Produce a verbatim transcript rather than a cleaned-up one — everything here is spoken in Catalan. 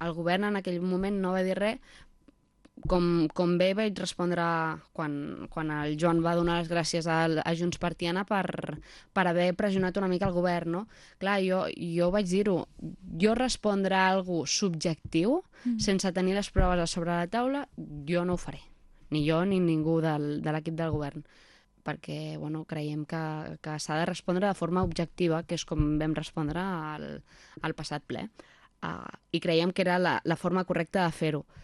El govern en aquell moment no va dir res, com, com bé vaig respondre quan, quan el Joan va donar les gràcies a, a Junts per Tiana per, per haver pressionat una mica el govern, no? Clar, jo, jo vaig dir-ho, jo respondre a algú subjectiu, mm. sense tenir les proves a sobre la taula, jo no ho faré. Ni jo ni ningú del, de l'equip del govern, perquè bueno, creiem que, que s'ha de respondre de forma objectiva, que és com vam respondre al, al passat ple. Uh, I creiem que era la, la forma correcta de fer-ho.